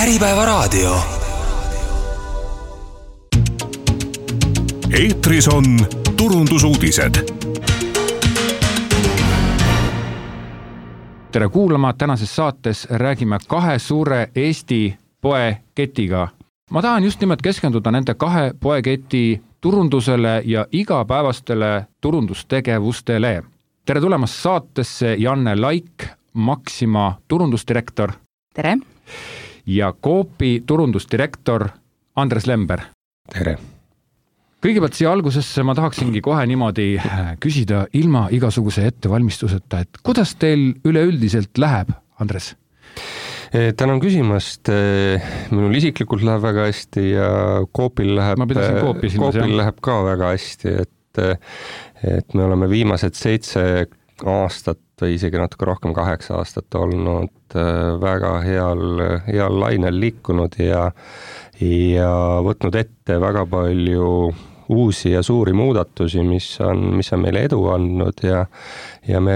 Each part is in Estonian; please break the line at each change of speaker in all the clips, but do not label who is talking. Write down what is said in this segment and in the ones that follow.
Äripäevaraadio.
Eetris on turundusuudised. Tere kuulama, tänases saates räägime kahe suure Eesti poeketiga. Ma tahan just nimelt keskenduda nende kahe poeketi turundusele ja igapäevastele turundustegevustele. Tere tulemast saatesse Janne Laik, Maxima turundusdirektor.
Tere.
Ja Coopi turundusdirektor Andres Lember.
Tere.
Kõigepealt siia algusesse ma tahaksingi kohe niimoodi küsida ilma igasuguse ettevalmistuseta, et kuidas teil üleüldiselt läheb, Andres?
Tänan küsimast. Minul isiklikult läheb väga hästi ja Coopil läheb ka väga hästi, et me oleme viimased 7 aastat või isegi natuke rohkem 8 aastat olnud väga heal lainel liikunud ja võtnud ette väga palju uusi ja suuri muudatusi, mis on meile edu andnud ja me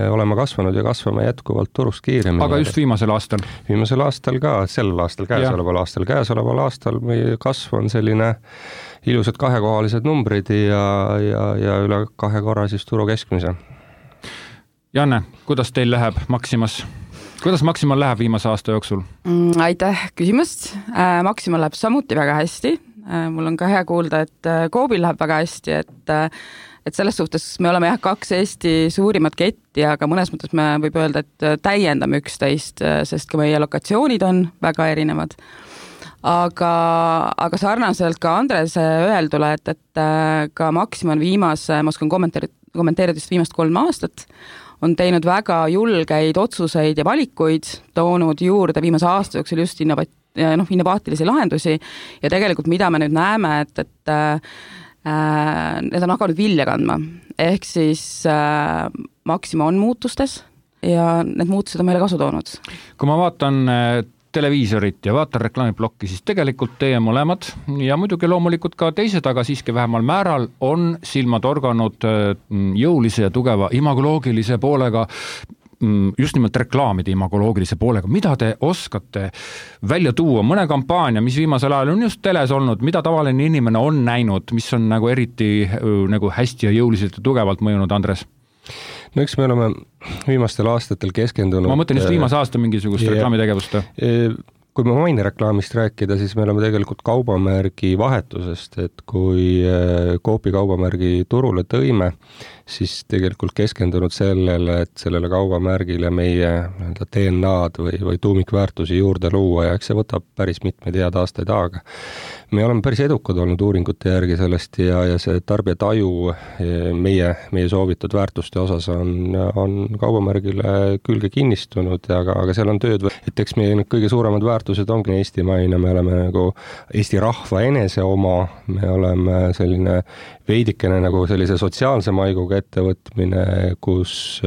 oleme kasvanud ja kasvame jätkuvalt turust kiiremini.
Aga just viimasel aastal?
Viimasel aastal ka, sellel aastal, käesoleval aastal meie kasv on selline ilusad 2-kohalised numbrid ja üle 2 korra siis turu keskmise.
Janne, kuidas teil läheb Maximas? Kuidas Maximal läheb viimase aasta jooksul?
Aitäh küsimast. Maximal läheb samuti väga hästi. Mul on ka hea kuulda, et Coopil läheb väga hästi, et selles suhtes me oleme 2 Eesti suurimat ketti, aga mõnes mõttes me võib öelda, et täiendame üksteist, sest ka meie lokatsioonid on väga erinevad. Aga sarnaselt ka Andres öeldule, et ka Maxima on ma oskan kommenteerida just viimast 3 aastat, on teinud väga julgeid otsuseid ja valikuid, toonud juurde viimase aasta jooksul just innovaatilisi lahendusi ja tegelikult mida me nüüd näeme, et need on hakanud vilja kandma. Ehk siis Maxima on muutustes ja need muutused on meile kasu toonud.
Kui ma vaatan televiisorit ja vaatan reklaamiplokki, siis tegelikult teie mõlemad ja muidugi loomulikult ka teised, aga siiski vähemal määral on silmad organud jõulise ja tugeva imagoloogilise poolega, just nimelt reklaamide imagoloogilise poolega. Mida te oskate välja tuua? Mõne kampaania, mis viimasel ajal on just teles olnud, mida tavaline inimene on näinud, mis on nagu eriti nagu hästi ja jõuliselt ja tugevalt mõjunud, Andres?
No eks me oleme viimastel aastatel keskendunud...
Ma mõtlen just viimase aasta mingisugust reklaamitegevust.
Kui me mainereklaamist rääkida, siis me oleme tegelikult kaubamärgi vahetusest, et kui Coopi kaubamärgi turule tõime, siis tegelikult keskendunud sellele, et sellele kaubamärgile meie DNA-d või tuumikväärtusi juurde luua ja eks see võtab päris mitmeid head aastaid aega. Me oleme päris edukad olnud uuringute järgi sellest ja see tarbijataju meie soovitud väärtuste osas on kaubamärgile külge kinnistunud, aga seal on tööd, et eks meie kõige suuremad väärtused ongi eestimaine, me oleme nagu Eesti rahva enese oma, me oleme selline veidikene nagu sellise sotsiaalse maiguga ettevõtmine, kus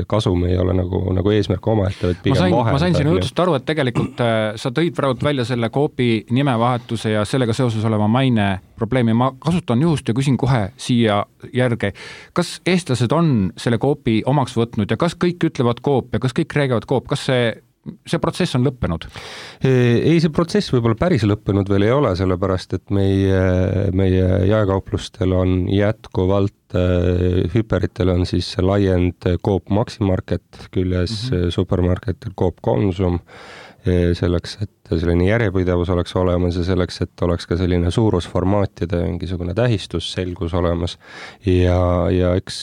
kasum ei ole nagu eesmärk oma ettevõt pigem vahendada.
Ma sain sinu jutust aru, et tegelikult sa tõid praegu välja selle Coopi nimevahetuse ja sellega seoses oleva maine probleemi. Ma kasutan juhust ja küsin kohe siia järge. Kas eestlased on selle Coopi omaks võtnud ja kas kõik ütlevad Coop ja kas kõik räägivad Coop? Kas see protsess on lõppenud?
Ei, see protsess võib-olla päris lõppenud veel ei ole, sellepärast et meie jaekauplustel on jätkuvalt hüperitel on siis laiend Coop Maximarket küljes supermarketil Coop Konsum selleks, et selline järjepidevus oleks olemas ja selleks, et oleks ka selline suurusformaatide mingisugune tähistus selgus olemas ja eks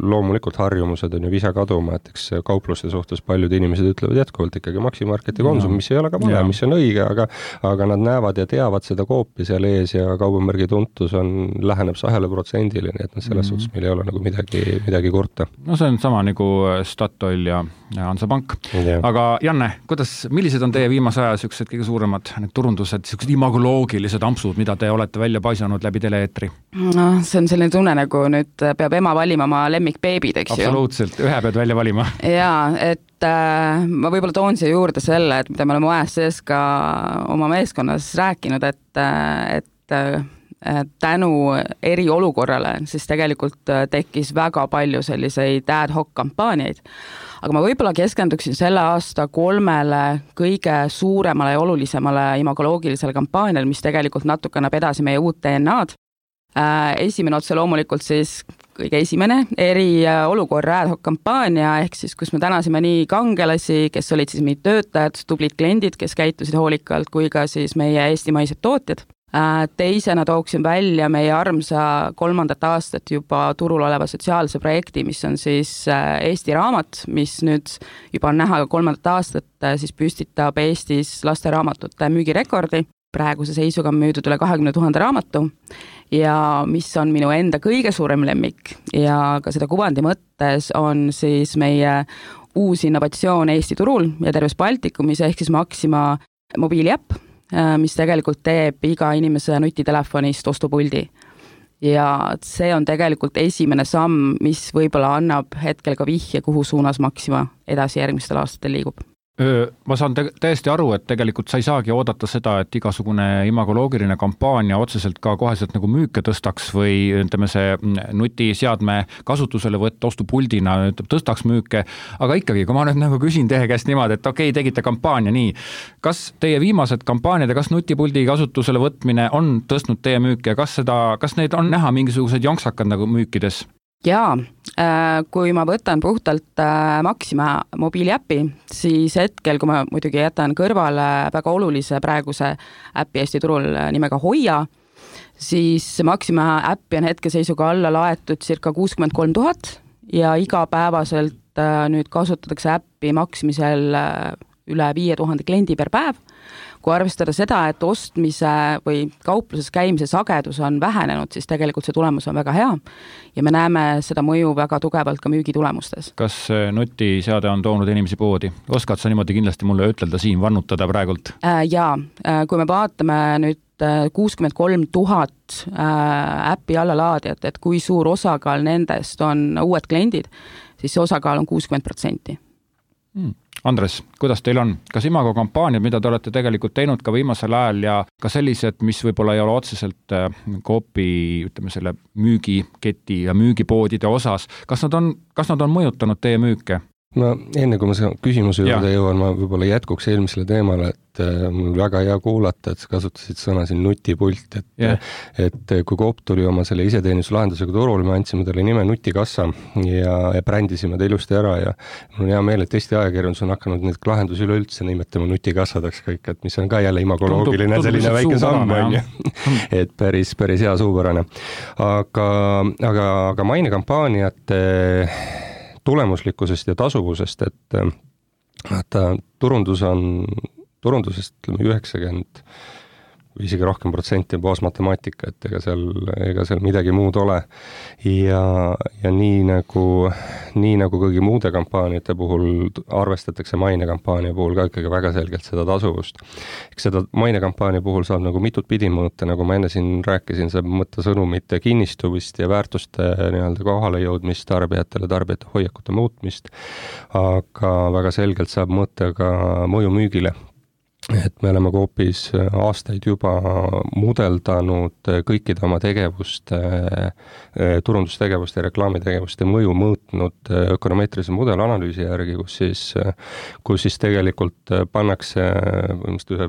loomulikult harjumused on ju visa kaduma, et eks kaupluste suhtes paljud inimesed ütlevad jätkuvalt ikkagi Maximarket ja Konsum, mis ei ole ka vale, mis on õige, aga nad näevad ja teavad seda Coopi seal ees ja kaubamärgi tuntus läheneb 2%, nii et selles suhtes meil ei ole nagu midagi kurta.
No see on sama nagu Statoil ja Hansapank. Aga Janne, millised on teie viimase aja sellised kõige suuremad need turundused, sellised imagoloogilised ampsud, mida te olete välja paisanud läbi teleeetri?
No, see on selline tunne, nagu nüüd peab ema valima oma lemmikbeebid, eks ju.
Absoluutselt, ühe pead välja valima.
Jaa, et ma võib-olla toon siia juurde selle, et mida me oleme ajas sees ka oma meeskonnas rääkinud, et tänu eriolukorrale, siis tegelikult tekkis väga palju selliseid ad hoc kampaaniaid. Aga ma võib-olla keskenduksin selle aasta 3 kõige suuremale ja olulisemale imagoloogilisele kampaaniale, mis tegelikult natuke annab edasi meie uut DNA-d. Esimene otse loomulikult siis kõige esimene eriolukorra ad hoc kampaania, ehk siis kus me tänasime nii kangelasi, kes olid siis meie töötajad, tublid kliendid, kes käitusid hoolikalt, kui ka siis meie eestimaised tootjad. Teisena tooksin välja meie armsa 3. aastat juba turul oleva sotsiaalse projekti, mis on siis Eesti Raamat, mis nüüd juba on näha 3. aastat, siis püstitab Eestis lasteraamatute müügirekordi. Praeguse seisuga on müüdud üle 20 000 raamatu ja mis on minu enda kõige suurem lemmik ja ka seda kuvandi mõttes on siis meie uus innovatsioon Eesti turul ja terves Baltikumis ehk siis Maxima mobiiliäpp, mis tegelikult teeb iga inimese nutitelefonist ostupuldi. Ja see on tegelikult esimene samm, mis võib-olla annab hetkel ka vihje, kuhu suunas Maxima edasi järgmistel aastatel liigub.
Ma saan täiesti aru, et tegelikult sa ei saagi oodata seda, et igasugune imagoloogiline kampaania otseselt ka koheselt nagu müüke tõstaks või ütleme see nutiseadme kasutusele võtta ostupuldina tõstaks müüke, aga ikkagi, kui ma nüüd nagu küsin teie käest niimoodi, et okei, tegite kampaania nii, kas teie viimased kampaaniad ja kas nutipuldi kasutusele võtmine on tõstnud teie müüke ja kas neid on näha mingisugused jonksakad nagu müükides?
Jaa, kui ma võtan puhtalt Maxima mobiiliäpi, siis hetkel, kui ma muidugi jätan kõrvale väga olulise praeguse äpi Eesti turul nimega Hoia, siis Maxima äppi on hetkeseisuga alla laetud circa 63 000 ja igapäevaselt nüüd kasutatakse äppi maksimisel üle 5000 kliendi per päev. Kui arvestada seda, et ostmise või kaupluses käimise sagedus on vähenenud, siis tegelikult see tulemus on väga hea ja me näeme seda mõju väga tugevalt ka müügitulemustes.
Kas nutiseade on toonud inimesi poodi? Oskad sa niimoodi kindlasti mulle ütelda siin, vannutada praegult?
Jaa, kui me vaatame nüüd 63 000 äppi allalaadijat, et kui suur osakaal nendest on uued kliendid, siis see osakaal on 60%.
Andres, kuidas teil on? Kas imago kampaaniad, mida te olete tegelikult teinud ka viimasel ajal ja ka sellised, mis võib-olla ei ole otseselt Coopi, ütleme selle müügiketi ja müügipoodide osas, kas nad on mõjutanud teie müüke?
No enne kui ma küsimuse juurde jõuan, ma võib-olla jätkuks eelmisele teemale, et mul väga hea kuulata, et sa kasutasid sõna siin nutipult, et kui Coop tuli oma selle iseteenuslahendusega turul, me andsime talle nime Nutikassa ja brändisime ta ilusti ära ja mul on hea meel, et Eesti ajakirjandus on hakanud neid lahendusi üleüldse nimetama nutikassadeks kõik, et mis on ka jälle imagoloogiline selline väike samm, on ju. Et päris hea suupärane. Aga mainekampaaniate tulemuslikkusest ja tasuvusest, et turundusest 90 või isegi rohkem protsenti on baasmatemaatika, et ega seal midagi muud ole. Ja nii nagu kõigi muude kampaaniate puhul arvestatakse mainekampaania puhul ka ikkagi väga selgelt seda tasuvust. Eks seda mainekampaania puhul saab nagu mitut pidi mõõta, nagu ma enne siin rääkisin, saab mõõta sõnumite kinnistumist ja väärtuste nii-öelda kohale jõudmist tarbijatele, tarbijate hoiakute muutmist, aga väga selgelt saab mõõta ka mõju müügile. Et me oleme Coopis aastaid juba mudeldanud kõikide oma tegevuste, turundustegevust ja reklaamitegevuste mõju mõõtnud ökonomeetrilise mudelanalüüsi järgi, kus siis tegelikult pannakse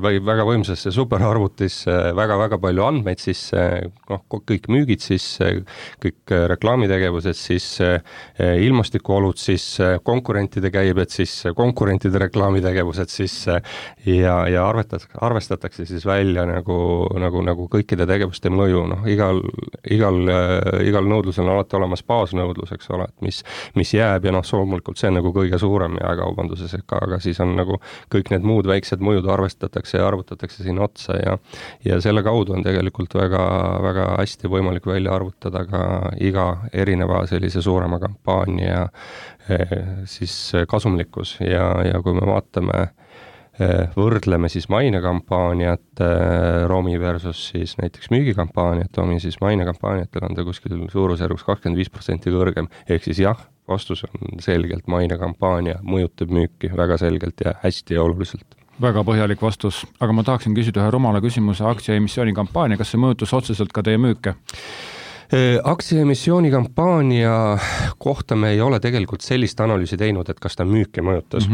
väga võimsasse superarvutisse väga palju andmeid sisse, kõik müügid sisse, kõik reklaamitegevused sisse, ilmastikuolud sisse, konkurentide käibed sisse, konkurentide reklaamitegevused sisse ja arvestatakse siis välja nagu kõikide tegevuste mõju. Igal nõudlusel on alati olemas baasnõudlus, eks ole, et mis jääb ja loomulikult see on nagu kõige suurem jaekaubanduses, aga siis on nagu kõik need muud väiksed mõjud arvestatakse ja arvutatakse siin otsa ja selle kaudu on tegelikult väga hästi võimalik välja arvutada ka iga erineva sellise suurema kampaania siis kasumlikkus ja kui me võrdleme siis mainekampaaniat Romi versus siis näiteks müügikampaaniat, Romi siis mainekampaaniatel on ta kuskil suurusjärgus 25% kõrgem, ehk siis jah, vastus on selgelt mainekampaania mõjutab müüki väga selgelt ja hästi ja oluliselt.
Väga põhjalik vastus, aga ma tahaksin küsida ühe rumala küsimuse aktsiaemissiooni kampaania, kas see mõjutus otseselt ka teie müüke?
Aktsiaemissiooni kampaania kohta me ei ole tegelikult sellist analüüsi teinud, et kas ta müüke mõjutas.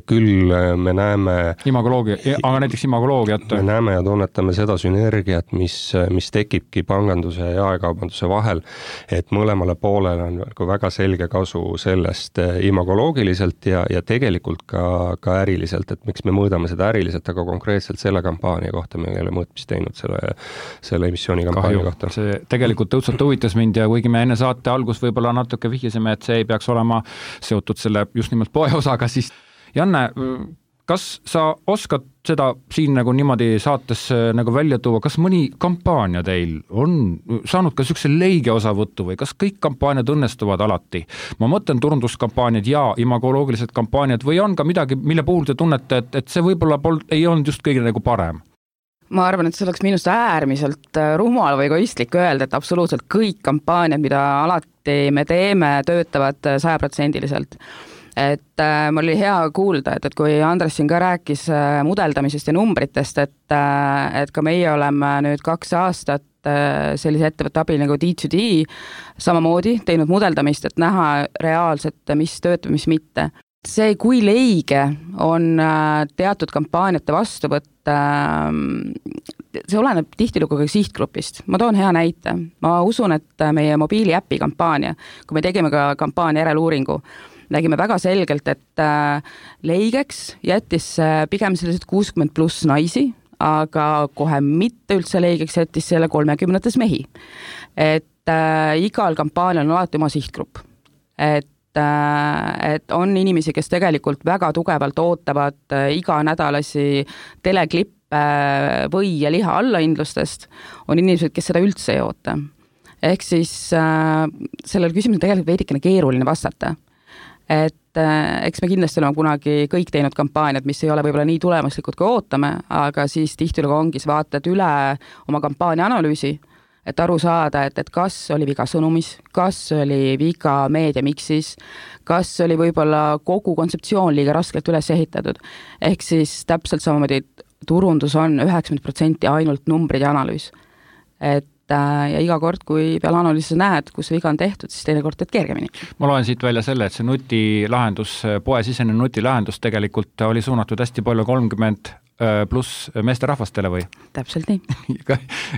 Küll me näeme
aga näiteks imagoloogiat.
Me näeme ja tunnetame seda sünergiat, mis tekibki panganduse ja jaekaubanduse vahel, et mõlemale poolele on väga selge kasu sellest imagoloogiliselt ja tegelikult ka äriliselt, et miks me mõõdame seda äriliselt, aga konkreetselt selle kampaania kohta me ei ole mõõtmist teinud selle emissiooni kampaania kohta.
See tegelikult õudselt huvitas mind ja kuigi me enne saate algus võib-olla natuke vihjasime, et see ei peaks olema seotud selle just nimelt poeosaga, siis Janne, kas sa oskad seda siin nagu niimoodi saates nagu välja tuua, kas mõni kampaania teil on saanud ka niisuguse leige osavõttu või kas kõik kampaaniad õnnestuvad alati? Ma mõtlen turunduskampaaniad ja imagoloogilised kampaaniad või on ka midagi, mille puhul te tunnete, et see võib-olla ei olnud just kõige nagu parem?
Ma arvan, et see oleks minust äärmiselt rumal või egoistlik öelda, et absoluutselt kõik kampaaniad, mida alati me teeme, töötavad 100%. Et mul oli hea kuulda, et kui Andres siin ka rääkis mudeldamisest ja numbritest, et ka meie oleme nüüd 2 aastat sellise ettevõtte abil nagu D2D samamoodi teinud mudeldamist, et näha reaalselt, mis töötab, mis mitte. See, kui leige on teatud kampaaniate vastuvõtt, see oleneb tihtilugu ka sihtgrupist. Ma toon hea näite. Ma usun, et meie mobiiliäpi kampaania, kui me tegime ka kampaania järeleuuringu, nägime väga selgelt, et leigeks jättis pigem sellised 60+ naisi, aga kohe mitte üldse leigeks jättis selle 30 mehi. Et igal kampaanial on alati oma sihtgrupp. Et on inimesi, kes tegelikult väga tugevalt ootavad iganädalasi teleklippe või ja liha allahindlustest, on inimesed, kes seda üldse ei oota. Ehk siis sellel küsimusel tegelikult veidikene keeruline vastata. Et eks me kindlasti oleme kunagi kõik teinud kampaaniad, mis ei ole võib-olla nii tulemuslikud, kui ootame, aga siis tihtilugu ongi vaatad üle oma kampaania analüüsi, et aru saada, et kas oli viga sõnumis, kas oli viga meediamiksis, kas oli võib-olla kogu kontseptsioon liiga raskelt üles ehitatud. Ehk siis täpselt samamoodi turundus on 90% ainult numbrid ja analüüs. Ja iga kord, kui peale analüüsis näed, kus viga on tehtud, siis teine kord teed kergemini.
Ma loen siit välja selle, et see nutilahendus, poesisene nutilahendus tegelikult oli suunatud hästi palju 30+ meesterahvastele või?
Täpselt nii.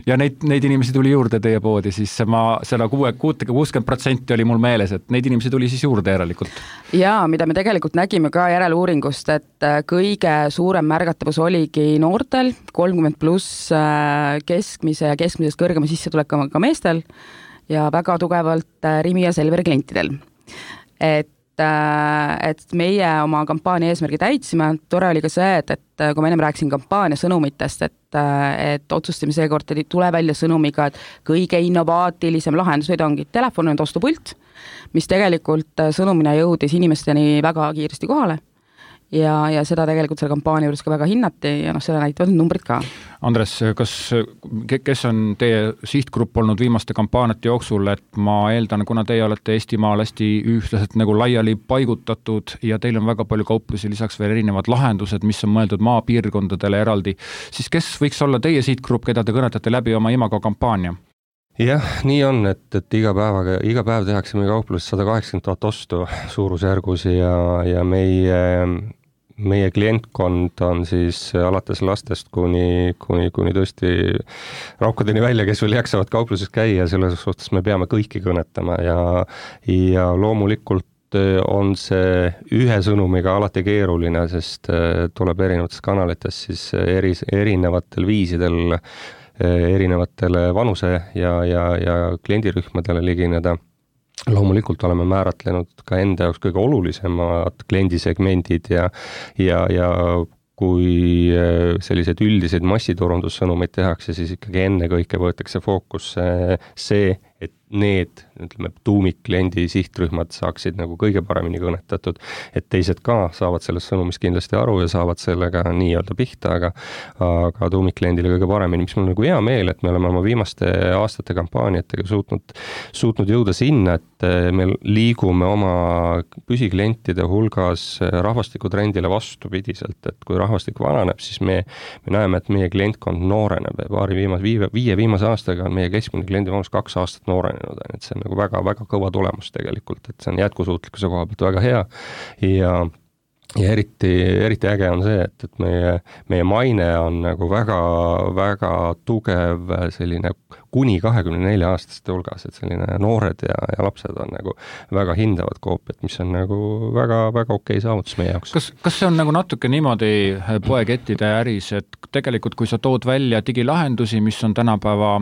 Ja neid inimesi tuli juurde teie poodi, siis selle 60% oli mul meeles, et neid inimesi tuli siis juurde järelikult.
Ja mida me tegelikult nägime ka järeleuuringust, et kõige suurem märgatavus oligi noortel, 30+ keskmise ja keskmisest kõrgema sissetulekuga ka meestel ja väga tugevalt Rimi ja Selveri klientidel. Et meie oma kampaania eesmärgi täitsime, tore oli ka see, et kui ma ennem rääkisin kampaania sõnumitest, et otsustame seekord tule välja sõnumiga, et kõige innovaatilisem lahendus ongi telefon on ostupult, mis tegelikult sõnumina jõudis inimesteni väga kiiresti kohale. Ja seda tegelikult selle kampaania juures ka väga hinnati ja seda näitavad numbrid ka.
Andres, kes on teie sihtgrupp olnud viimaste kampaaniate jooksul, et ma eeldan, kuna teie olete Eestimaal hästi ühtlaselt nagu laiali paigutatud ja teil on väga palju kauplusi, lisaks veel erinevad lahendused, mis on mõeldud maapiirkondadele eraldi, siis kes võiks olla teie sihtgrupp, keda te kõnetate läbi oma imago kampaania?
Jah, nii on, et iga päev tehakse meie kaupluses 180 000 ostu suurusjärgus ja meie klientkond on siis alates lastest kuni tõesti raukadeni välja, kes veel jaksavad kaupluses käia, selles suhtes me peame kõiki kõnetama ja loomulikult on see ühe sõnumiga alati keeruline, sest tuleb erinevates kanalites siis erinevatel viisidel erinevatele vanuse ja kliendirühmadele ligineda. Loomulikult oleme määratlenud ka enda jaoks kõige olulisemad kliendisegmendid ja kui sellised üldiseid massiturundussõnumeid tehakse, siis ikkagi enne kõike võetakse fookusse see, et need, ütleme, tuumikkliendi sihtrühmad saaksid nagu kõige paremini kõnetatud, et teised ka saavad sellest sõnumist kindlasti aru ja saavad sellega nii-öelda pihta, aga tuumikkliendile kõige paremini, mis mul nagu hea meel, et me oleme oma viimaste aastate kampaaniatega suutnud jõuda sinna, et me liigume oma püsiklientide hulgas rahvastikutrendile vastupidiselt, et kui rahvastik vananeb, siis me näeme, et meie klientkond nooreneb ja viie viimase aastaga on meie keskmine kliendi vanus 2 aastat noorenenud, et see on nagu väga-väga kõva tulemus tegelikult, et see on jätkusuutlikkuse koha pealt väga hea ja eriti äge on see, et meie maine on nagu väga tugev selline kuni 24-aastaste hulgas, et selline noored ja lapsed on nagu väga hindavad koopiat, mis on nagu väga okei saavutus meie jaoks.
Kas see on nagu natuke niimoodi poekettide äris, et tegelikult kui sa tood välja digilahendusi, mis on tänapäeva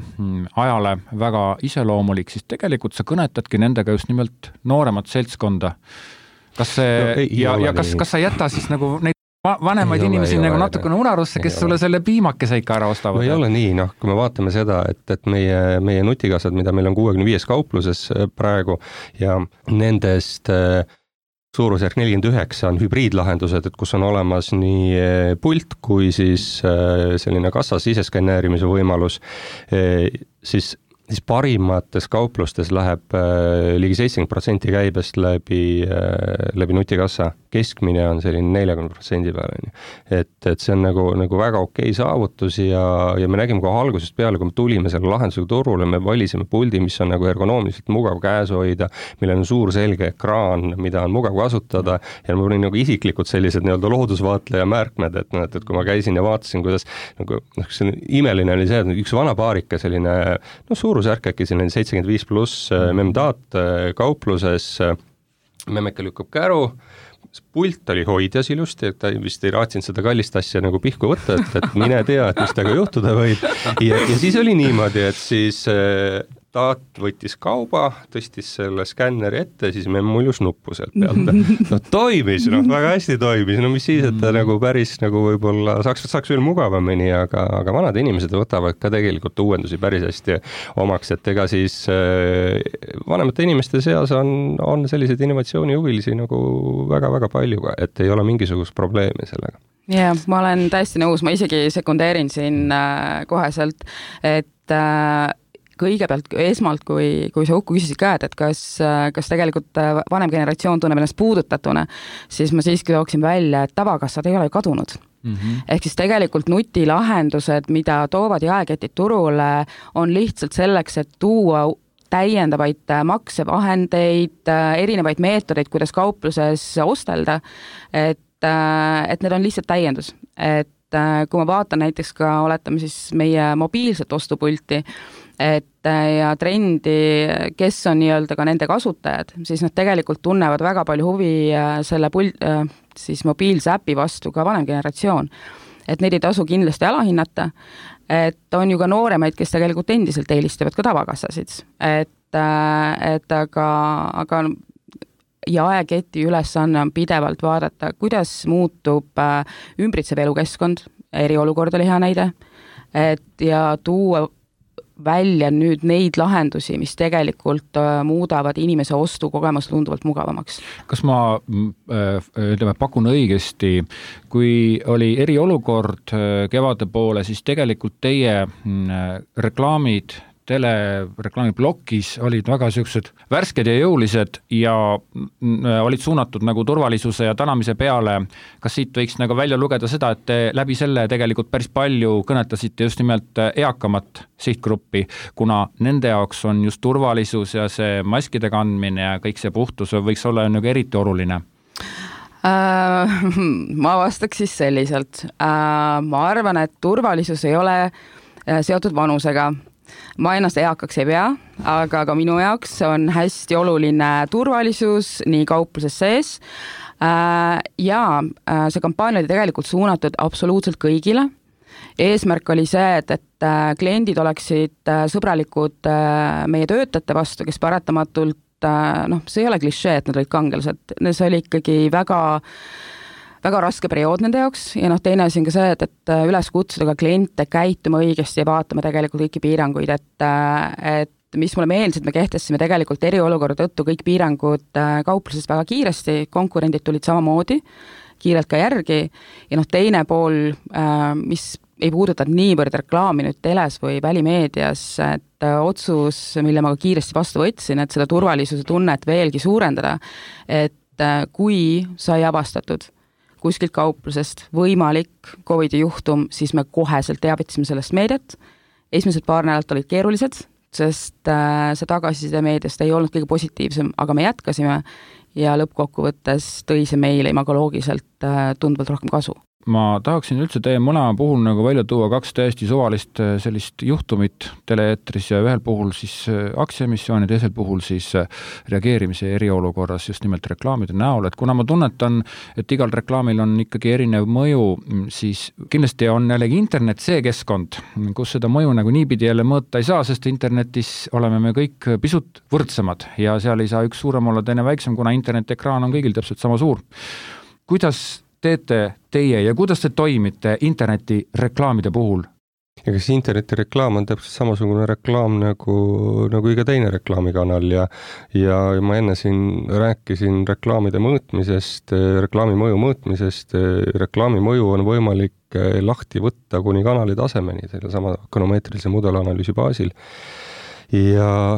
ajale väga iseloomulik, siis tegelikult sa kõnetadki nendega just nimelt nooremat seltskonda. Kas see, kas sa jäta siis nagu neid vanemaid inimesi nagu natukene unarusse, kes sulle selle piimakese ikka ära ostavad?
Ei ole nii, kui me vaatame seda, et meie nutikassad, mida meil on 65 kaupluses praegu ja nendest suurusjärk 49 on hübriidlahendused, et kus on olemas nii pult kui siis selline kassa siseskänneerimise võimalus, siis parimates kauplustes läheb ligi 70% käibest läbi nutikassa. Keskmine on selline 40% peale. Et see on nagu väga okei saavutus ja me nägime kohe algusest peale, kui me tulime selle lahendusega turule, me valisime puldi, mis on nagu ergonoomiliselt mugav käes hoida, millel on suur selge ekraan, mida on mugav kasutada ja mul oli nagu isiklikult sellised nii-öelda loodusvaatleja märkmed, et kui ma käisin ja vaatasin, kuidas nagu, imeline oli see, et üks vana paarika selline, suurusjärk äkki selline 75+ memdaat kaupluses, memmeke lükkab käru, pult oli hoidjas ilusti, et ta vist ei raatsinud seda kallist asja nagu pihku võtta, et mine tea, et mis temaga juhtuda võib. Ja siis oli niimoodi, et siis taat võttis kauba, tõstis selle skänneri ette, siis me muljus nuppu sealt pealt. Toimis, väga hästi toimis, mis siis, et ta nagu päris nagu võib-olla saaks veel mugavamini, aga vanad inimesed võtavad ka tegelikult uuendusi päris hästi omaks, et ega siis vanemate inimeste seas on selliseid innovatsioonihuvilisi nagu väga-väga palju, et ei ole mingisugust probleemi sellega.
Ja, ma olen täiesti nõus, ma isegi sekundeerin siin koheselt, et kõigepealt esmalt, kui sa Uku küsisid ka, et kas tegelikult vanem generatsioon tunneb ennast puudutatuna, siis ma siiski tooksin välja, et tavakassad ei ole kadunud. Ehk siis tegelikult nutilahendused, mida toovad jaeketid turule, on lihtsalt selleks, et tuua täiendavaid maksevahendeid, erinevaid meetodeid, kuidas kaupluses ostelda, et need on lihtsalt täiendus. Et kui ma vaatan näiteks ka, oletame siis meie mobiilset ostupulti, ja trendi, kes on nii-öelda ka nende kasutajad, siis nad tegelikult tunnevad väga palju huvi selle siis mobiilse äpi vastu ka vanem generatsioon. Et neid ei tasu kindlasti alahinnata, et on ju ka nooremaid, kes tegelikult endiselt eelistavad ka tavakassasid. Et aga jaeketi ülesanne on pidevalt vaadata, kuidas muutub ümbritsev elukeskkond, eriolukord oli hea näide, ja tuua välja nüüd neid lahendusi, mis tegelikult muudavad inimese ostukogemust tunduvalt mugavamaks.
Kas ma pakun õigesti, kui oli eriolukord kevade poole, siis tegelikult teie reklaamid telereklaamiblokis olid väga sellised värsked ja jõulised ja olid suunatud nagu turvalisuse ja tänamise peale. Kas siit võiks nagu välja lugeda seda, et te läbi selle tegelikult päris palju kõnetasite just nimelt eakamat sihtgruppi, kuna nende jaoks on just turvalisus ja see maskide kandmine ja kõik see puhtus võiks olla nagu eriti oluline?
Ma vastaks siis selliselt. Ma arvan, et turvalisus ei ole seotud vanusega. Ma ennast eakaks ei pea, aga ka minu jaoks on hästi oluline turvalisus nii kaupluses sees. Ja see kampaania oli tegelikult suunatud absoluutselt kõigile. Eesmärk oli see, et kliendid oleksid sõbralikud meie töötajate vastu, kes paratamatult, see ei ole klišee, et nad olid kangelased. See oli ikkagi väga raske periood nende jaoks ja teine asi on ka see, et üles kutsuda ka kliente käituma õigesti ja vaatama tegelikult kõiki piiranguid, et mis mulle meeldis, et me kehtestasime tegelikult eriolukorra tõttu kõik piirangud kauplusest väga kiiresti, konkurendid tulid samamoodi, kiirelt ka järgi ja teine pool, mis ei puuduta niivõrd reklaami nüüd teles või välimeedias, et otsus, mille ma ka kiiresti vastu võtsin, et seda turvalisuse tunnet veelgi suurendada, et kui sai avastatud kuskilt kauplusest võimalik COVID-i juhtum, siis me koheselt teavitasime sellest meediat. Esimesed paar nädalat olid keerulised, sest see tagasiside meediast ei olnud kõige positiivsem, aga me jätkasime ja lõppkokkuvõttes tõi see meile imagoloogiliselt tunduvalt rohkem kasu.
Ma tahaksin üldse teie mõlema puhul nagu välja tuua 2 täiesti suvalist sellist juhtumit teleeetris ja ühel puhul siis aktsiaemissioon ja teisel puhul siis reageerimise eriolukorras just nimelt reklaamide näol, et kuna ma tunnetan, et igal reklaamil on ikkagi erinev mõju, siis kindlasti on jällegi internet see keskkond, kus seda mõju nagu niipidi jälle mõõta ei saa, sest internetis oleme me kõik pisut võrdsemad ja seal ei saa üks suurem olla, teine väiksem, kuna internetiekraan on kõigil täpselt sama suur. Kuidas teete teie ja kuidas te toimite interneti reklaamide puhul?
Ja kas interneti reklaam on täpselt samasugune reklaam nagu iga teine reklaamikanal ja ma enne siin rääkisin reklaamide mõõtmisest, reklaami mõju mõõtmisest, reklaami mõju on võimalik lahti võtta kuni kanali tasemeni, selle sama ökonomeetrilise mudelanalüüsi baasil. Ja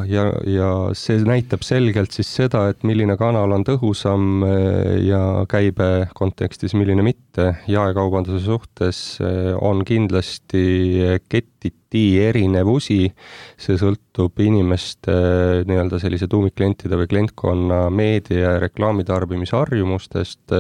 see näitab selgelt siis seda, et milline kanal on tõhusam ja käibe kontekstis, milline mitte. Jaekaubanduse suhtes on kindlasti kettiti erinevusi, see sõltub inimeste nii-öelda sellise tuumikklientide või klientkonna meedia ja reklaamitarbimisharjumustest.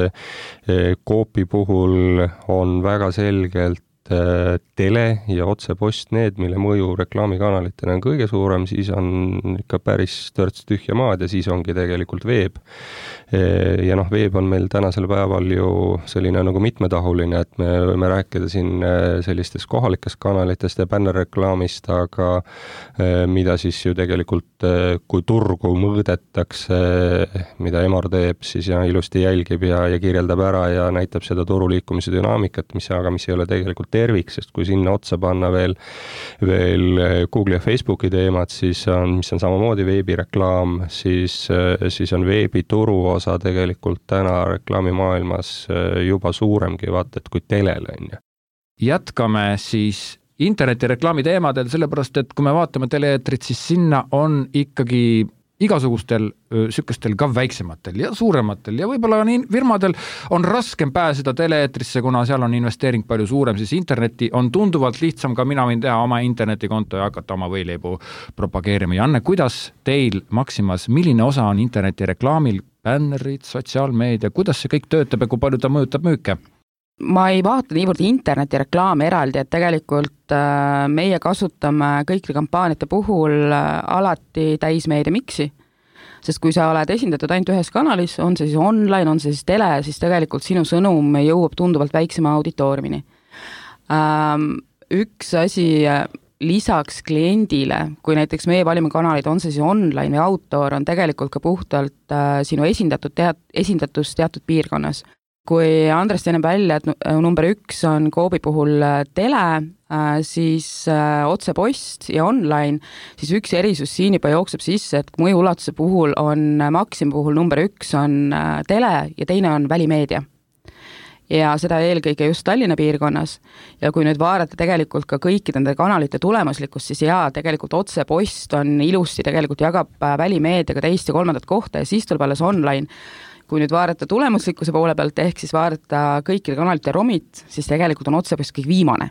Coopi puhul on väga selgelt tele ja otsepost need, mille mõju reklaamikanalitena on kõige suurem, siis on ikka päris törts tühja maad ja siis ongi tegelikult veeb. Ja veeb on meil tänasel päeval ju selline nagu mitmetahuline, et me võime rääkida siin sellistest kohalikest kanalitest ja bännerreklaamist, aga mida siis ju tegelikult, kui turgu mõõdetakse, mida Emor teeb, siis ja ilusti jälgib ja kirjeldab ära ja näitab seda turuliikumise dünaamikat, mis ei ole tegelikult tervik, sest kui sinna otsa panna veel Google ja Facebooki teemad, siis mis on samamoodi veebireklaam, siis on veebituru osa tegelikult täna reklaamimaailmas juba suuremgi vaata, et kui telel on.
Jätkame siis internetireklaami teemadel, sellepärast, et kui me vaatame teleeetrit, siis sinna on ikkagi igasugustel sükestel ka väiksematel ja suurematel ja võib-olla firmadel on raskem pääseda teleeetrisse, kuna seal on investeering palju suurem, siis interneti on tunduvalt lihtsam, ka mina võin teha oma internetikonto ja hakata oma võileibu propageerima. Janne, kuidas teil Maximas, milline osa on internetireklaamil, bännerid, sotsiaalmeedia, kuidas see kõik töötab ja kui palju ta mõjutab müüke?
Ma ei vaata niivõrd internetireklaami eraldi, et tegelikult meie kasutame kõikide kampaaniate puhul alati täismeedia miksi, sest kui sa oled esindatud ainult ühes kanalis, on see siis online, on see siis tele, siis tegelikult sinu sõnum jõuab tunduvalt väiksema auditooriumini. Üks asi lisaks kliendile, kui näiteks meie valime kanalid, on see siis online või outdoor, on tegelikult ka puhtalt sinu esindatus teatud piirkonnas. Kui Andres teine välja, et number 1 on Coopi puhul tele, siis otsepost ja online, siis üks erisus siin juba jookseb sisse, et mõju ulatuse puhul on Maxima puhul number 1 on tele ja teine on välimeedia. Ja seda eelkõige just Tallinna piirkonnas. Ja kui nüüd vaadata tegelikult ka kõikide nende kanalite tulemuslikkust, siis tegelikult otsepost on ilusti tegelikult jagab välimeediaga teist ja kolmandat kohta ja siis tuleb alles online. Kui nüüd vaadata tulemuslikkuse poole pealt, ehk siis vaadata kõikide kanalite romit, siis tegelikult on otsepost kõik viimane.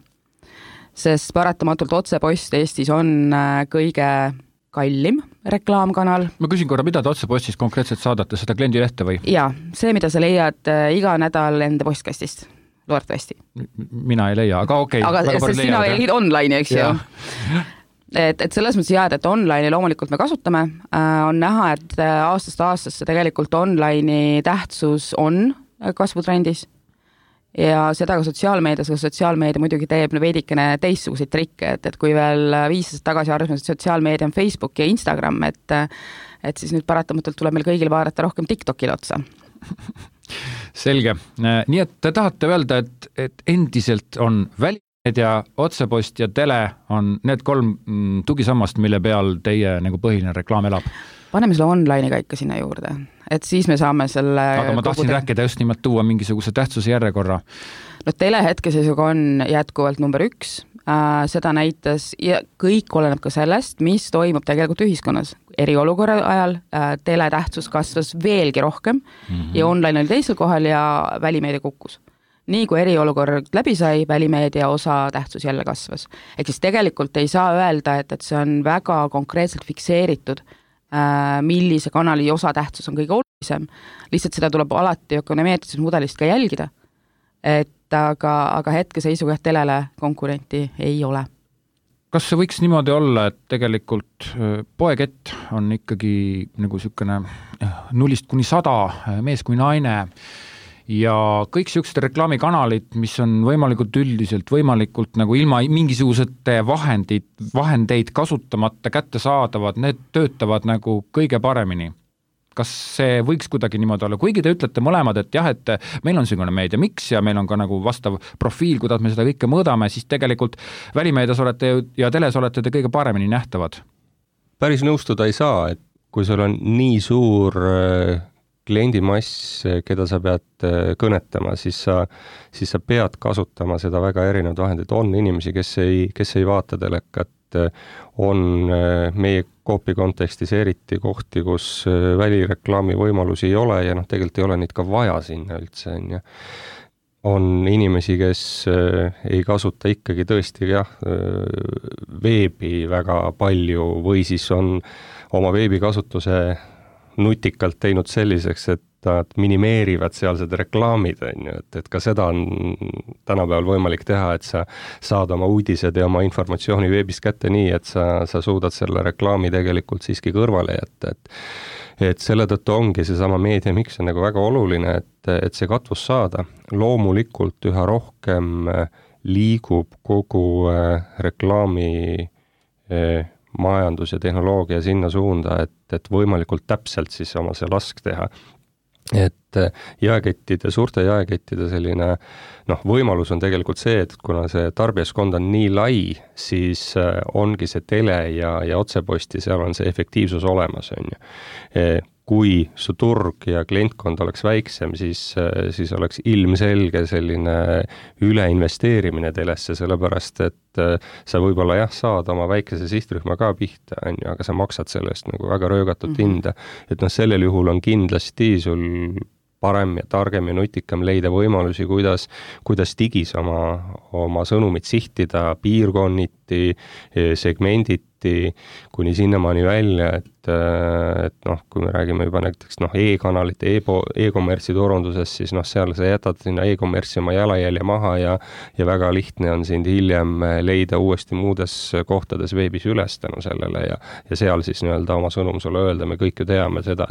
Sest paratamatult otsepost Eestis on kõige kallim reklaamkanal.
Ma küsin korra, mida te otsepostis konkreetselt saadate, seda kliendilehte või?
Jaa, see, mida sa leiad iga nädal enda postkastist, loodetavasti.
Mina ei leia, aga okei.
Aga sest sina olid online, eks ju? Et selles mõttes jääd, et online'i loomulikult me kasutame, on näha, et aastast aastasse tegelikult online'i tähtsus on kasvutrendis ja seda ka sotsiaalmeedias, aga sotsiaalmeedia muidugi teeb veidikene teistsuguseid trikke, et kui veel 5 aastat tagasi arvasime, et sotsiaalmeedia on Facebook ja Instagram, et siis nüüd paratamatult tuleb meil kõigil vaadata rohkem TikTokil otsa.
Selge. Nii et te tahate öelda, et endiselt on ja otsepost ja tele on need 3 tugisammast, mille peal teie nagu põhiline reklaam elab.
Paneme selle online'i ka ikka sinna juurde, et siis me saame selle...
Aga ma tahtsin rääkida just nimelt tuua mingisuguse tähtsuse järjekorra.
No tele hetkeseisuga on jätkuvalt number 1, seda näitas ja kõik oleneb ka sellest, mis toimub tegelikult ühiskonnas. Eriolukorra ajal tele tähtsus kasvas veelgi rohkem ja online oli teisel kohal ja välimeedia kukkus. Nii kui eriolukord läbi sai, välimeedia osa tähtsus jälle kasvas. Ehk siis tegelikult ei saa öelda, et see on väga konkreetselt fikseeritud, millise kanali osa tähtsus on kõige olulisem. Lihtsalt seda tuleb alati ökonomeetrilisest mudelist ka jälgida. Aga hetkeseisuga telele konkurenti ei ole.
Kas see võiks niimoodi olla, et tegelikult poekett on ikkagi nagu sükene 0–100 mees kui naine ja kõik siuksed reklaamikanalid, mis on võimalikult üldiselt, võimalikult nagu ilma mingisugusete vahendeid kasutamata kätte saadavad, need töötavad nagu kõige paremini. Kas see võiks kuidagi niimoodi olla? Kuigi te ütlete mõlemad, et jah, et meil on selline meedia miks ja meil on ka nagu vastav profiil, kuidas me seda kõike mõõdame, siis tegelikult välimeedias olete ja teles olete te kõige paremini nähtavad.
Päris nõustuda ei saa, et kui sul on nii suur kliendimass, keda sa pead kõnetama, siis sa pead kasutama seda väga erinevad vahendid. On inimesi, kes ei vaata telekat, on meie Coopi kontekstis eriti kohti, kus välireklaami võimalusi ei ole ja tegelikult ei ole neid ka vaja sinna üldse. On inimesi, kes ei kasuta ikkagi tõesti veebi väga palju või siis on oma veebikasutuse nutikalt teinud selliseks, et nad minimeerivad sealsed reklaamid, et ka seda on tänapäeval võimalik teha, et sa saad oma uudised ja oma informatsiooni veebist kätte nii, et sa suudad selle reklaami tegelikult siiski kõrvale jätta, et selle tõttu ongi seesama meedia miks on nagu väga oluline, et see katvus saada. Loomulikult üha rohkem liigub kogu reklaami majandus ja tehnoloogia sinna suunda, et võimalikult täpselt siis oma see lask teha. Et suurte jaekettide selline võimalus on tegelikult see, et kuna see tarbijaskond on nii lai, siis ongi see tele ja otseposti, seal on see efektiivsus olemas. Kui su turg ja klientkond oleks väiksem, siis oleks ilmselge selline üleinvesteerimine telesse, sellepärast et sa võib-olla saad oma väikese sihtrühma ka pihta, aga sa maksad sellest nagu väga röögatut hinda. Et sellel juhul on kindlasti sul parem ja targem ja nutikam leida võimalusi, kuidas digis oma sõnumit sihtida piirkonniti, segmenditi, kuni sinnamaani välja, et kui me räägime juba näiteks e-kanalite, e-kommertsi turundusest, siis seal sa jätad sinna e-kommertsi oma jalajälje maha ja väga lihtne on sind hiljem leida uuesti muudes kohtades veebis üles tänu sellele ja seal siis oma sõnum sulle öelda. Me kõik ju teame seda,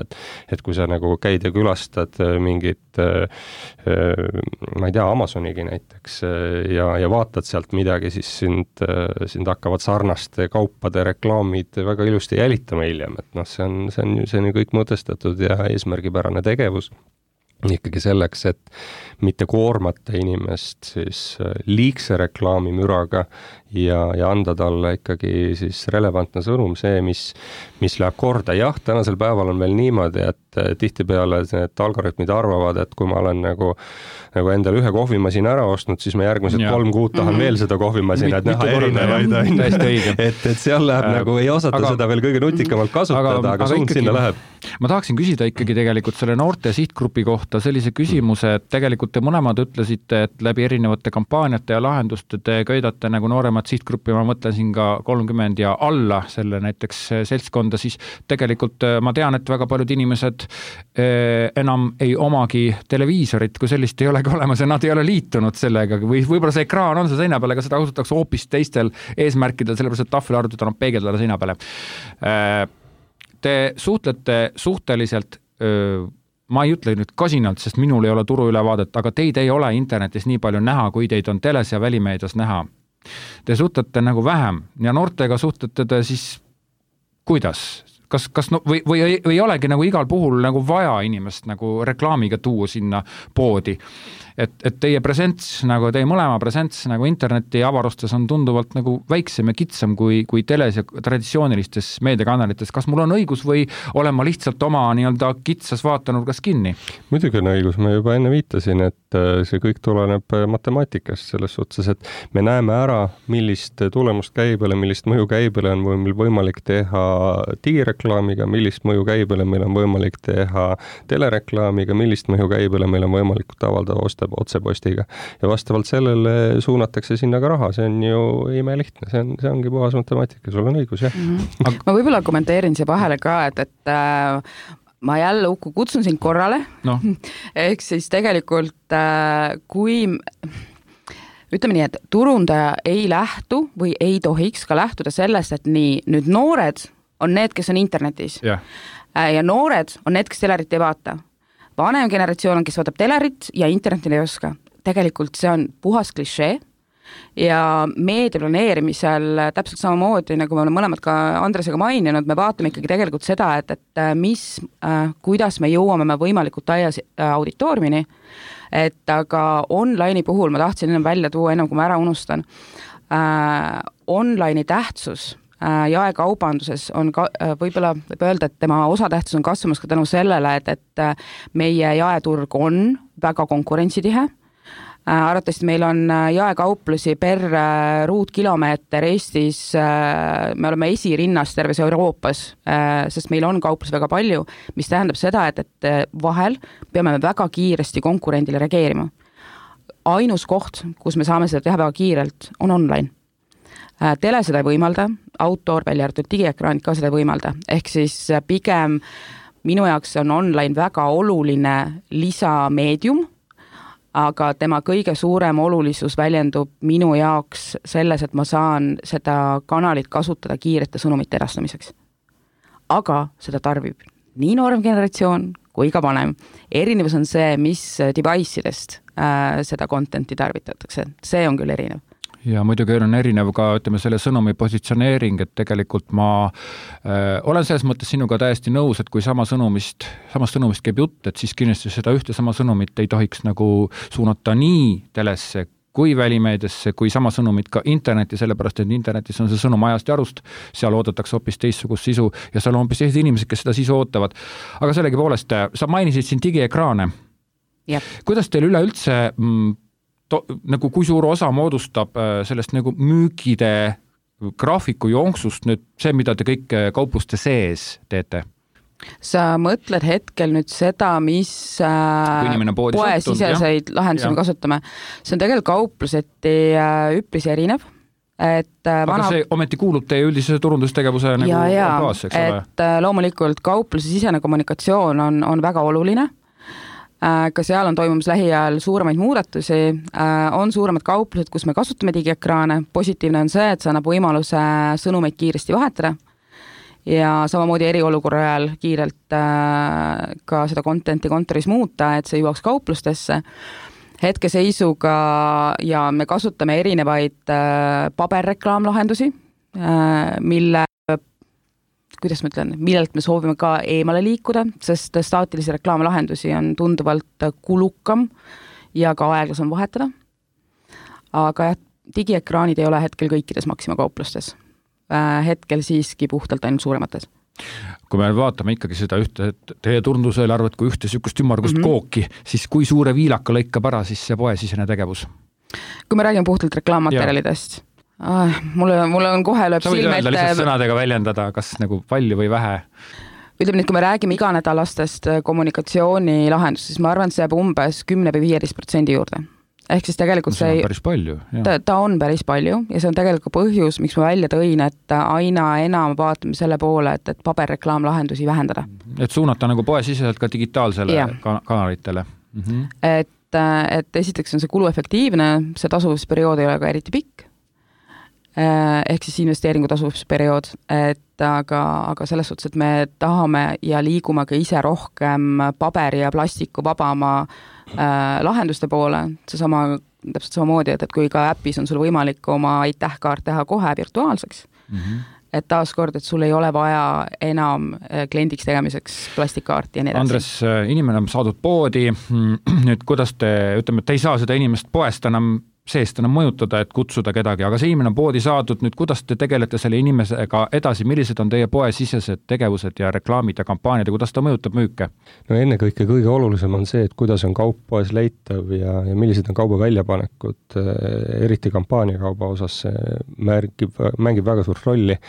et kui sa nagu käid ja külastad mingit, ma ei tea, Amazonigi näiteks ja vaatad sealt midagi, siis sind hakkavad sarnaste kaupade reklaamid väga ilusti jälitama hiljem, et see on ju kõik mõtestatud ja eesmärgipärane tegevus ikkagi selleks, et mitte koormata inimest siis liigse reklaamimüraga ja anda talle ikkagi siis relevantne sõnum, see, mis läheb korda. Jah, tänasel päeval on veel niimoodi, et tihtipeale need algoritmid arvavad, et kui ma olen nagu endale ühe kohvimasina ära ostnud, siis ma järgmised 3 kuud tahan veel seda kohvimasina, et näha erinevaid. Et seal läheb nagu, ei osata seda veel kõige nutikamalt kasutada, aga suund sinna läheb.
Ma tahaksin küsida ikkagi tegelikult selle noorte sihtgrupi kohta sellise küsimuse, et tegelikult te mõlemad ütlesite, et läbi erinevate kampaaniate ja lahenduste te köidate nagu nooremat sihtgruppi, ma mõtlesin ka 30 ja alla selle näiteks seltskonda, siis tegelikult ma tean, et väga paljud inimesed enam ei omagi televiisorit, kui sellist ei olegi olemas ja nad ei ole liitunud sellega või võib-olla see ekraan on see seina peal, aga seda kasutatakse hoopis teistel eesmärkidel, sellepärast et tahvelarvutit annab peegeldada seina peale. Te suhtlete suhteliselt, ma ei ütle nüüd kasinalt, sest minul ei ole turu ülevaadet, aga teid ei ole internetis nii palju näha, kui teid on teles ja välimeedias näha. Te suhtlete nagu vähem ja noortega suhtlete te siis kuidas? kas no, või ei olegi nagu igal puhul nagu vaja inimest nagu reklaamiga tuua sinna poodi? Et teie presents, nagu teie mõlema presents nagu interneti avarustes on tunduvalt nagu väiksem ja kitsam kui teles ja traditsioonilistes meediakanalites. Kas mul on õigus või olen ma lihtsalt oma nii-öelda kitsas vaatanurgas kinni?
Muidugi on õigus, ma juba enne viitasin, et see kõik tuleneb matemaatikast selles suhtes, et me näeme ära, millist tulemust käibele, millist mõju käibele on meil võimalik teha digireklaamiga, millist mõju käibele meil on võimalik teha telereklaamiga, millist mõju käibele meil on võimalik avaldada otsepostiga ja vastavalt sellele suunatakse sinna ka raha, see on ju imelihtne, see ongi puhas matemaatika, sul on õigus, jah.
Ma võib-olla kommenteerin siia vahele ka, et ma jälle kutsun sind korrale, no. Ehk siis tegelikult kui ütleme nii, et turundaja ei lähtu või ei tohiks ka lähtuda sellest, et nii, nüüd noored on need, kes on internetis ja noored on need, kes telerit ei vaata. Vanem generatsioon on, kes vaatab telerit ja internetil ei oska. Tegelikult see on puhas klišee ja meediaplaneerimisel täpselt samamoodi, nagu me oleme mõlemad ka Andresega maininud, me vaatame ikkagi tegelikult seda, et kuidas me jõuame võimalikult taia auditooriumini, et aga online'i puhul ma tahtsin ennem välja tuua, ennem kui ma ära unustan, online'i tähtsus jaekaubanduses on võib-olla võib öelda, et tema osatähtsus on kasvamas ka tänu sellele, et meie jaeturg on väga konkurentsitihe. Arvatavasti meil on jaekauplusi per ruutkilomeeter Eestis, me oleme esirinnas terves Euroopas, sest meil on kauplus väga palju, mis tähendab seda, et vahel peame väga kiiresti konkurendile reageerima. Ainus koht, kus me saame seda teha väga kiirelt, on online. Tele seda ei võimalda, outdoor välja arvatud digiekraanid ka seda ei võimalda, ehk siis pigem minu jaoks on online väga oluline lisameedium, aga tema kõige suurem olulisus väljendub minu jaoks selles, et ma saan seda kanalit kasutada kiirete sõnumite edastamiseks. Aga seda tarbib nii noorem generatsioon kui ka vanem. Erinevus on see, mis device'idest seda contenti tarvitatakse. See on küll erinev.
Ja muidugi on erinev ka, ütleme, selle sõnumi positsioneering, et tegelikult ma olen selles mõttes sinuga täiesti nõus, et kui samast sõnumist käib jutt, et siis kindlasti seda ühte sama sõnumit ei tohiks nagu suunata nii telesse kui välimeediasse, kui sama sõnumit ka interneti, sellepärast, et internetis on see sõnum ajast ja arust, seal oodatakse hoopis teistsugust sisu ja seal on hoopis teised inimesed, kes seda sisu ootavad. Aga sellegi poolest, sa mainisid siin digiekraane. Yep. Kuidas teil üleüldse nagu kui suur osa moodustab sellest nagu müügide graafiku jooksust nüüd see, mida te kõik kaupluste sees teete?
Sa mõtled hetkel nüüd seda, mis poesiseseid lahendusi me kasutame. See on tegelikult kaupluseti üpris erinev.
Aga see ometi kuulub teie üldise turundustegevuse nagu baas, eks ole?
Et loomulikult kaupluse sisene kommunikatsioon on väga oluline. Ka seal on toimumas lähiajal suuremaid muudatusi, on suuremad kauplused, kus me kasutame digiekraane. Positiivne on see, et see annab võimaluse sõnumeid kiiresti vahetada ja samamoodi eriolukorra ajal kiirelt ka seda contenti kontoris muuta, et see jõuaks kauplustesse. Hetkeseisuga ja me kasutame erinevaid paberreklaamlahendusi, millelt me soovime ka eemale liikuda, sest staatilisi reklaamlahendusi on tunduvalt kulukam ja ka aeglasem vahetada. Aga digiekraanid ei ole hetkel kõikides Maxima kauplustes. Hetkel siiski puhtalt ainult suuremates.
Kui me vaatame ikkagi seda ühte, teie turndusel arvad, kui ühte sükust ümmargust kooki, siis kui suure viilaka lõikab ära siis see poesisene tegevus?
Kui me räägime puhtalt reklaammaterjalidest, mulle on kohe lööb silme ette. Sa võid öelda lihtsalt sõnadega väljendada, kas nagu palju või vähe? Ütleme nüüd, kui me räägime iganädalastest kommunikatsioonilahendust, siis ma arvan, et see jääb umbes 10-15% juurde. Ehk siis tegelikult
see on päris palju.
Ta on päris palju ja see on tegelikult põhjus, miks ma välja tõin, et aina enam vaatame selle poole, et paberreklaamlahendusi vähendada.
Et suunata nagu poesiseselt ka digitaalsele kanalitele.
Et esiteks on see kuluefektiivne, see tasuvusperiood ei ole ka eriti pikk. Ehk siis investeeringu tasuvusperiood, aga selles suhtes, et me tahame ja liigume ka ise rohkem paberi ja plastiku vabama lahenduste poole, täpselt samamoodi, et kui ka äpis on sul võimalik oma aitähkaart teha kohe virtuaalseks, et taaskord, et sul ei ole vaja enam kliendiks tegemiseks plastikkaarti ja nii edasi.
Andres, inimene on saadud poodi, nüüd kuidas te, ütleme, et te ei saa seda inimest poest enam seest enam mõjutada, et kutsuda kedagi, aga see inimene on poodi saadud, nüüd kuidas te tegelete selle inimesega edasi, millised on teie poesisesed tegevused ja reklaamid ja kampaaniad ja kuidas ta mõjutab müüke?
No ennekõike kõige olulisem on see, et kuidas on kaup poes leitav ja millised on kauba väljapanekud, eriti kampaaniakauba osas mängib väga suurt rolli.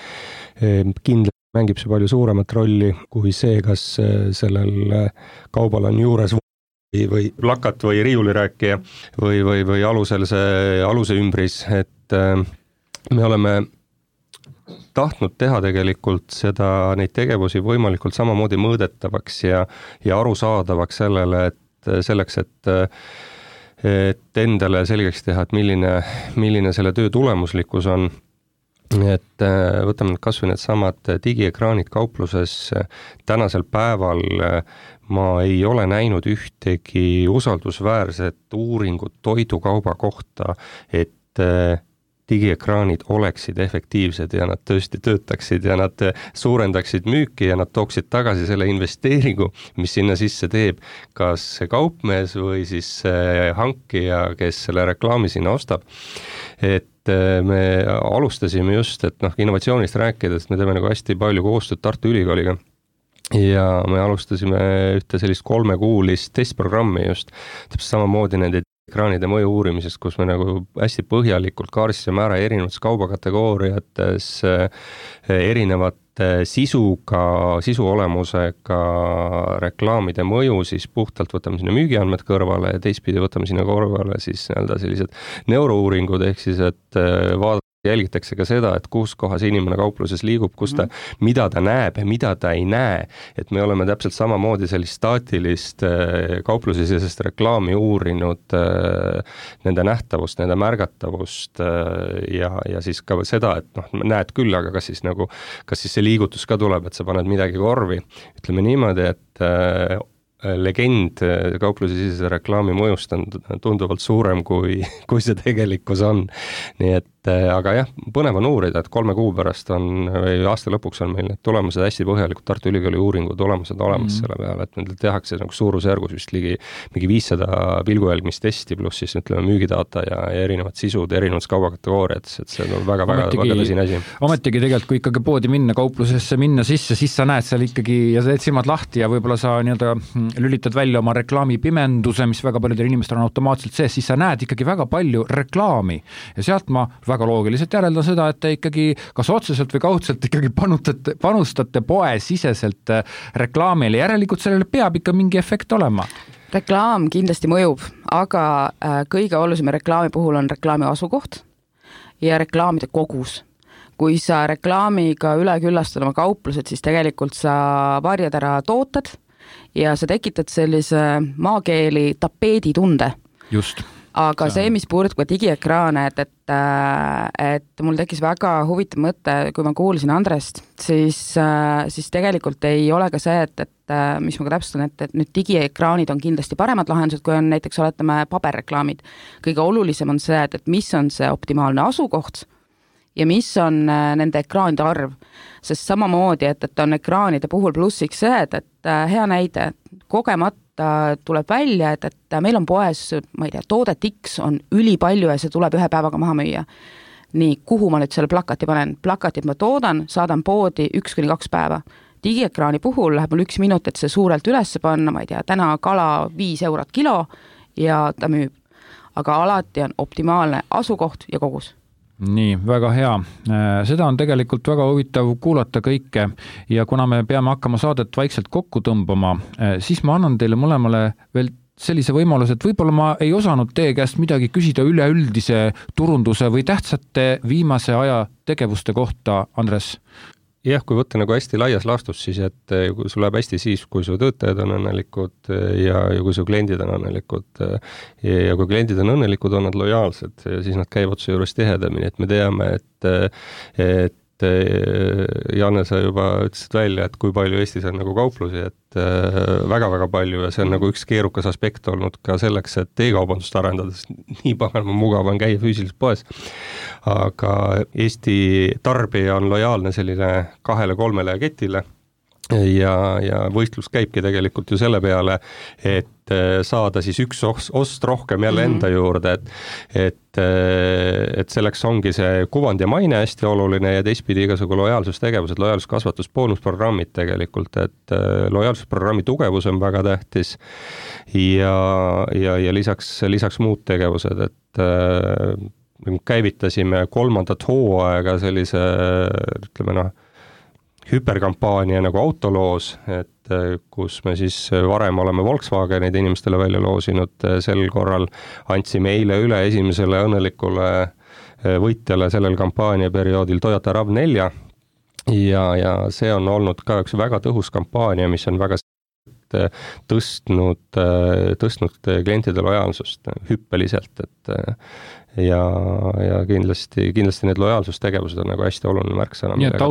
Kindlasti mängib see palju suuremat rolli kui see, kas sellel kaubal on juures või plakat või riiulirääkija või alusel see aluse ümbris, et me oleme tahtnud teha tegelikult neid tegevusi võimalikult samamoodi mõõdetavaks ja arusaadavaks selleks, et endale selgeks teha, et milline selle töö tulemuslikkus on. Et võtame kas või need samad digiekraanid kaupluses, tänasel päeval ma ei ole näinud ühtegi usaldusväärset uuringut toidukauba kohta, et digiekraanid oleksid efektiivsed ja nad tõesti töötaksid ja nad suurendaksid müüki ja nad tooksid tagasi selle investeeringu, mis sinna sisse teeb kas kaupmees või siis hankija, kes selle reklaami sinna ostab. Et me alustasime just, et innovatsioonist rääkides, me teeme nagu hästi palju koostööd Tartu Ülikooliga ja me alustasime ühte sellist 3-kuulist testprogrammi just, täpselt samamoodi nende ekraanide mõju uurimisest, kus me nagu hästi põhjalikult kaaristasime ära erinevates kaubakategooriates erinevat sisu olemusega reklaamide mõju, siis puhtalt võtame sinna müügiandmed kõrvale ja teistpidi võtame sinna kõrvale siis sellised neurouuringud, ehk siis, et jälgitakse ka seda, et kus kohas inimene kaupluses liigub, mida ta näeb ja mida ta ei näe. Et me oleme täpselt samamoodi sellist staatilist kauplusesisest reklaami uurinud, nende nähtavust, nende märgatavust ja siis ka seda, et näed küll, aga kas siis see liigutus ka tuleb, et sa paned midagi korvi. Ütleme niimoodi, et legend kauplusesisese reklaami mõjust on tunduvalt suurem, kui see tegelikkus on. Nii et aga jah, põnev on uurida, et 3 kuu pärast või aasta lõpuks on meil need tulemused hästi põhjalikult Tartu Ülikooli uuringu tulemused olemas selle peale, et meil tehakse suurusjärgus vist mingi 500 pilgujälgmistesti pluss siis ütleme müügidata ja erinevad sisud, erinevad kaubakategooriad, et see on väga tõsine asi.
Ometigi tegelikult, kui ikkagi poodi minna, kauplusesse minna sisse, siis sa näed seal ikkagi ja sa teed silmad lahti ja võib-olla sa lülitad välja oma reklaamipimenduse, mis väga paljudel inimestel on automaatselt sees, siis sa näed ikkagi väga palju reklaami ja sealt ma väga loogiliselt järeldan seda, et te ikkagi kas otseselt või kaudselt ikkagi panustate poesiseselt reklaamile, järelikult sellele peab ikka mingi efekt olema.
Reklaam kindlasti mõjub, aga kõige olulisem reklaami puhul on reklaami asukoht ja reklaamide kogus. Kui sa reklaamiga üle küllastad oma kauplused, siis tegelikult sa varjad ära tooted ja sa tekitad sellise maakeeli tapeeditunde.
Just.
Aga see, mis puudutab ka digiekraane, et mul tekkis väga huvitav mõte, kui ma kuulsin Andrest, siis tegelikult ei ole ka see, et mis ma ka täpsustan, et nüüd digiekraanid on kindlasti paremad lahendused, kui on näiteks oletame paberreklaamid. Kõige olulisem on see, et mis on see optimaalne asukoht ja mis on nende ekraanide arv, sest samamoodi, et on ekraanide puhul plussiks see, et hea näide, kogemata tuleb välja, et meil on poes, ma ei tea, toodet X on ülipalju ja see tuleb ühe päevaga maha müüa. Nii, kuhu ma nüüd selle plakati panen? Plakatit ma toodan, saadan poodi 1-2 päeva. Digiekraani puhul läheb mul 1 minut, et see suurelt üles panna, ma ei tea, täna kala 5 eurot kilo ja ta müüb. Aga alati on optimaalne asukoht ja kogus.
Nii, väga hea. Seda on tegelikult väga huvitav kuulata kõike ja kuna me peame hakkama saadet vaikselt kokku tõmbama, siis ma annan teile mõlemale veel sellise võimaluse, et võib-olla ma ei osanud teie käest midagi küsida üleüldise turunduse või tähtsate viimase aja tegevuste kohta, Andres.
Jah, kui võtta nagu hästi laias laastus, siis et kui sul läheb hästi siis, kui su töötajad on õnnelikud ja kui su kliendid on õnnelikud ja kui kliendid on õnnelikud, on nad lojaalsed ja siis nad käivad su juures tihedamini, et me teame, et Janne, sa juba ütlesid välja, et kui palju Eestis on nagu kauplusi, et väga-väga palju ja see on nagu üks keerukas aspekt olnud ka selleks, et e-kaubandust arendades nii paganama mugav on käia füüsiliselt poes. aga Eesti tarbija on lojaalne selline 2-3 ketile ja võistlus käibki tegelikult ju selle peale, et saada siis üks ost rohkem jälle enda juurde, et selleks ongi see kuvand ja maine hästi oluline ja teistpidi igasugu lojaalsustegevused, lojaalsuskasvatus, boonusprogrammid tegelikult, et lojaalsusprogrammi tugevus on väga tähtis ja lisaks muud tegevused, et käivitasime 3. hooaega sellise, ütleme hüperkampaania nagu autoloos, et kus me siis varem oleme Volkswagenid inimestele välja loosinud, sel korral andsime eile üle esimesele õnnelikule võitjale sellel kampaaniaperioodil Toyota RAV4 ja see on olnud ka üks väga tõhus kampaania, mis on väga tõstnud klientide lojaalsust hüppeliselt, ja kindlasti need lojaalsustegevused on nagu hästi oluline märksõna.
Nii et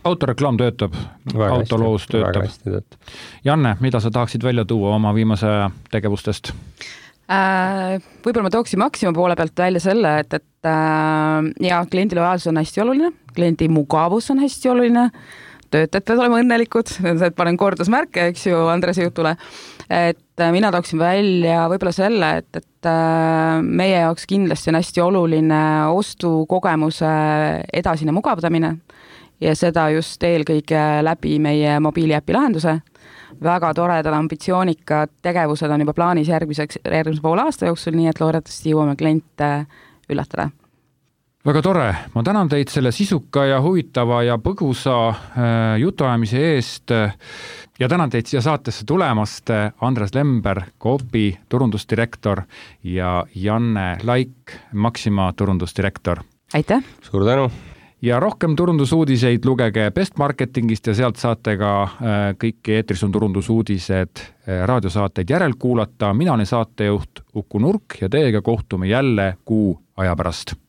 autoreklaam töötab, autoloos töötab. Janne, mida sa tahaksid välja tuua oma viimase tegevustest?
Võib-olla ma tooksin Maxima poole pealt välja selle, et kliendi lojaalsus on hästi oluline, kliendi mugavus on hästi oluline, töötajad peavad olema õnnelikud, et panen kordusmärke, eks ju, Andrese jutule, et mina tooksin välja võib-olla selle, et meie jaoks kindlasti on hästi oluline ostukogemuse edasine mugavdamine ja seda just eelkõige läbi meie mobiiliäpi lahenduse. Väga toredad ambitsioonikad tegevused on juba plaanis järgmise poole aasta jooksul, nii et loodetavasti jõuame kliente üllatada.
Väga tore, ma tänan teid selle sisuka ja huvitava ja põgusa jutuajamise eest ja tänan teid siia saatesse tulemast, Andres Lember, Coopi turundusdirektor ja Janne Laik, Maxima turundusdirektor.
Aitäh!
Suur tänu!
Ja rohkem turundusuudiseid lugege Best Marketingist ja sealt saate ka kõiki eetris on turundusuudised raadiosaateid järelkuulata. Mina olen saatejuht Uku Nurk ja teiega kohtume jälle kuu aja pärast.